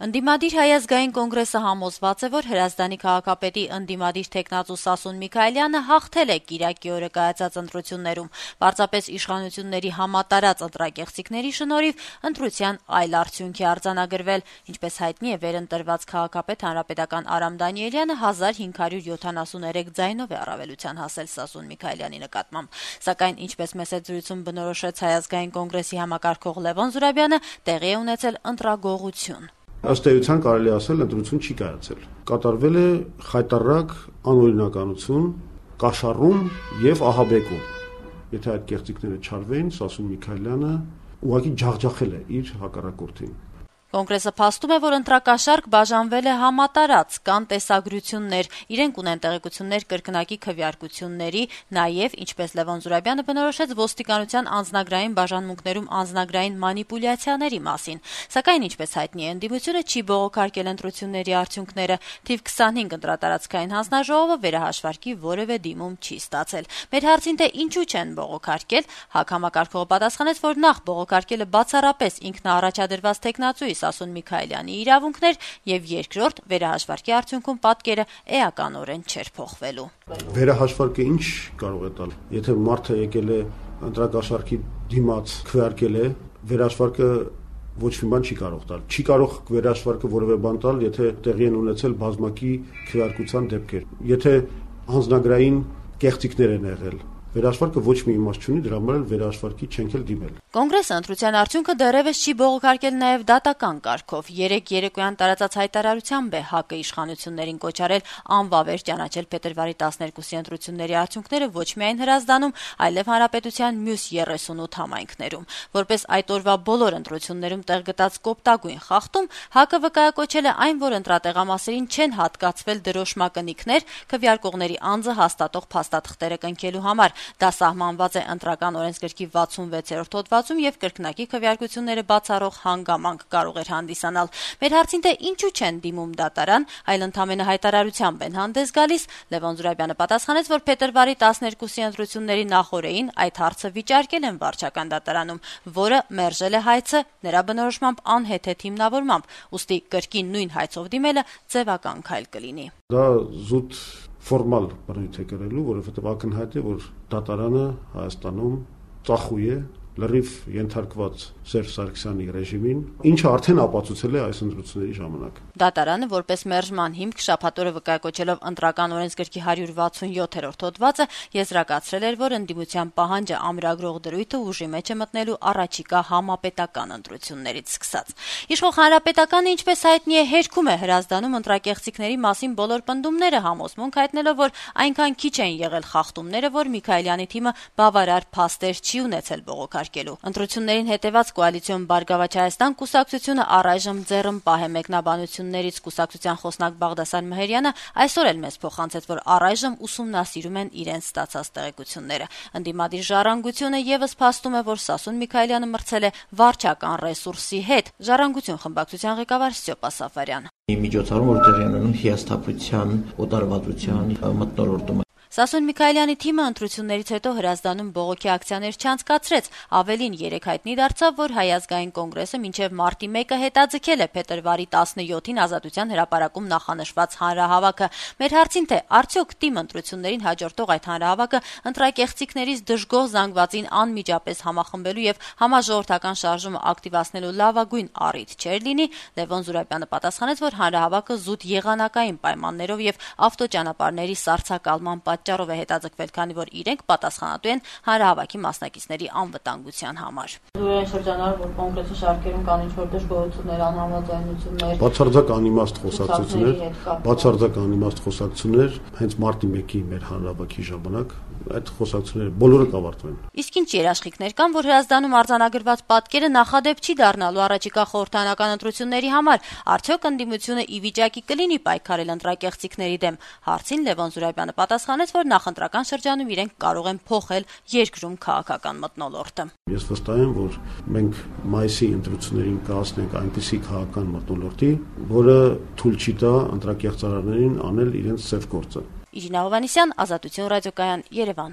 Ընդդիմադիր Հայազգային կոնգրեսը համոզված է, որ Հրազդանի քաղաքապետի ընդդիմադիր թեկնածու Սասուն Միքայելյանը հաղթել է Կիրակի օրը կայացած ընտրություններում, պարզապես իշխանությունների համատարած ընտրակեղծիքների շնորհիվ ընտրության այլ արդյունք է արձանագրվել, ինչպես հայտնի է վերընտրված քաղաքապետ հանրապետական Արամ Դանիելյանը 1573 ձայնով է առավելության հասել Սասուն Միքայելյանի նկատմամբ, սակայն ինչպես մեծ զրույցում բնորոշեց Հայազգային կոնգրեսի համակարգող Լևոն Զուրաբյանը, տեղի է ունեցել ընտրագողություն։ Ըստ էության կարելի ասել ընտրություն չի կայացել։ Կատարվել է խայտառակ անօրինականություն, կաշառում եւ ահաբեկում։ Եթե այդ կեղծիքները չարվեին, Սասուն Միքայելյանը ուղղակի ջախջախել է իր հակառակորդին։ Կոնգրեսը փաստում է, որ ընտրակաշառք բաժանվել է համատարած, կան տեսագրություններ, իրենք ունեն տեղեկություններ կրկնակի քվեարկությունների, նաև, ինչպես Լևոն Զուրաբյանը բնորոշեց, ոստիկանության անձնագրային բաժանմունքներում անձնագրային մանիպուլյացիաների մասին, սակայն ինչպես հայտնի է, ընդդիմությունը չի բողոքարկել ընտրությունների արդյունքները, թիվ 25 ընտրատարածքային հանձնաժողովը վերահաշվարկի որևէ դիմում չի ստացել։ Մեր հարցին թե ինչու չեն բողոքարկել, ՀԱԿ համակարգողը պատասխանեց, որ նախ բողոքարկելը բացառապես ինքնաառաջադրված թեկնածուի Սասուն Միքայելյանի իրավունքներ եւ երկրորդ վերահաշվարկի արդյունքում պատկերը էականորեն չէր փոխվելու։ Վերահաշվարկը ինչ կարող է տալ, եթե մարդը եկել է ընտրակաշառքի դիմաց քվեարկել է, վերահաշվարկը ոչ մի բան չի կարող տալ։ Չի կարող վերահաշվարկը որևէ բան տալ, եթե տեղի են ունեցել բազմակի քվեարկության դեպքեր։ Եթե անձնագրային կեղծիքներ են եղել, վերահաշվարկը ոչ մի իմաստ չունի, դրա համար էլ վերահաշվարկի չենք էլ դիմել։ Կոնգրեսը ընտրության արդյունքը դեռևս չի բողոքարկել նաև դատական կարգով։ Երեկոյան տարածած հայտարարությամբ է ՀԱԿ-ը իշխանություններին կոչ արել անվավեր ճանաչել փետրվարի 12-ի ընտրությունների արդյունքները ոչ միայն Հրազդանում, այլև հանրապետության մյուս 38 համայնքներում։ Որպես այդ օրվա բոլոր ընտրություններում տեղ գտած կոպտագույն խախտում, ՀԱԿ-ը վկայակոչել է այն, որ ընտրատեղամասերին չեն հատկացվել դրոշմակնիքներ քվեարկողների անձը հաստատող փաստաթղթերը կնքելու համար։ Դա սահմանված է Ընտրական օրենսգրքի 66-րդ հոդվածում եւ կրկնակի քվեարկությունները բացառող հանգամանք կարող էր հանդիսանալ։ Մեր հարցին թե ինչու չեն դիմում դատարան, այլ ընդամենը հայտարարությամբ են հանդես գալիս, Լևոն Զուրաբյանը պատասխանեց, որ փետրվարի 12-ի ընտրությունների նախօրեին այդ հարցը վիճարկել են վարչական դատարանում, որը մերժել է հայցը նրա բնորոշմամբ անհեթեթ հիմնավորմամբ, ուստի կրկին նույն հայցով դիմելը ձևական քայլ կլինի։ Դա զուտ ֆորմալ բնույթ է կրելու, որովհետև ակնհայտ է, որ դատարանը Հայաստանում ծախույ է, լրիվ ենթարկված Սերժ Սարգսյանի ռեժիմին, ինչը արդեն ապացուցել է այս ընտրությունների ժամանակ։ Դատարանը որպես մերժման հիմք շաբաթ օրը վկայակոչելով Ընտրական օրենսգրքի 167-րդ հոդվածը եզրակացրել էր, որ ընդդիմության պահանջը ամրագրող դրույթը ուժի մեջ է մտնելու առաջիկա համապետական ընտրություններից սկսած։ Իշխող Հանրապետականը, ինչպես հայտնի է, հերքում է Հրազդանում ընտրակեղծիքների մասին բոլոր պնդումները, համոզմունք հայտնելով, որ այնքան քիչ են եղել խախտումները, որ Միքայելյանի թիմը բավարար փաստեր չի ունեցել բողոքարկելու։ Ընտրություններին հետևած Կոալիցիոն Բարգավաճ Հայաստան կուսակցությունը առայժմ ձեռնպահ է մեկնաբանություններից։ Կուսակցության խոսնակ Բաղդասար Մհերյանը այսօր էլ մեզ փոխանցեց, որ առայժմ ուսումնասիրում են իրենց ստացած տեղեկությունները։ Ընդդիմադիր Ժառանգությունը եւս փաստում է, որ Սասուն Միքայելյանը մրցել է վարչական ռեսուրսի հետ։ Ժառանգություն խմբակցության ղեկավար Ստյոպա Սաֆարյան։ Միջոցառում, որ տեղի ունենում հիասթափության, օտարվածության մթնոլորտում։ Սասուն Միքայելյանի թիմը ընտրություններից հետո Հրազդանում բողոքի ակցիաներ չանցկացրեց, ավելին երեկ հայտնի դարձավ, որ Հայազգային կոնգրեսը մինչև մարտի 1-ը հետաձգել է փետրվարի 17-ին Ազատության հրապարակում նախանշված հանրահավաքը։ Մեր հարցին թե արդյոք թիմ ընտրություններին հաջորդող այդ հանրահավաքը ընտրակեղծիքներից դժգոհ զանգվածին անմիջապես համախմբելու եւ համաժողովրդական շարժումը ակտիվացնելու լավագույն առիթ չէր լինի, Լևոն Զուրաբյանը պատասխանեց, որ հանրահավաքը զուտ եղանակային պայմաններով եւ ավտոճանապարհների սառցակալման պատճառով է հետաձգվել, քանի որ իրենք պատասխանատու են հանրահավաքի մասնակիցների անվտանգության համար։ Զուրային շրջանառ, որ կոնկրետի շարքերում կան ինչ-որ դժգոհություններ, անհամաձայնություններ, բացարձակ անիմաստ խոսակցություններ, հենց մարտի 1-ի մեր հանրահավաքի ժամանակ այդ խոսակցությունները բոլորը կավարտվեն։ Իսկ ինչ երաշխիքներ կան, որ Հրազդանում արձանագրված պատկերը նախադեպ չի դառնալու առաջիկա խորհրդարանական ընտրությունների համար, արդյոք ընդդիմությունը ի վիճակի կլինի պայքարել ընտրակեղծիքների դեմ։ Հարցին Լևոն Զուրաբյանը պատասխանեց, որ նախընտրական շրջանում իրենք կարող են փոխել երկրում քաղաքական մթնոլորտը։ Ես վստահ եմ, որ մենք մայիսի ընտրություններին կհասնենք այնպիսի քաղաքական մթնոլորտի, որը թույլ չի տա ընտրակեղծարարներին անել իրենց ծև գործը։ Իրինա Հովհաննիսյան, Ազատություն ռադիոկայան, Երևան։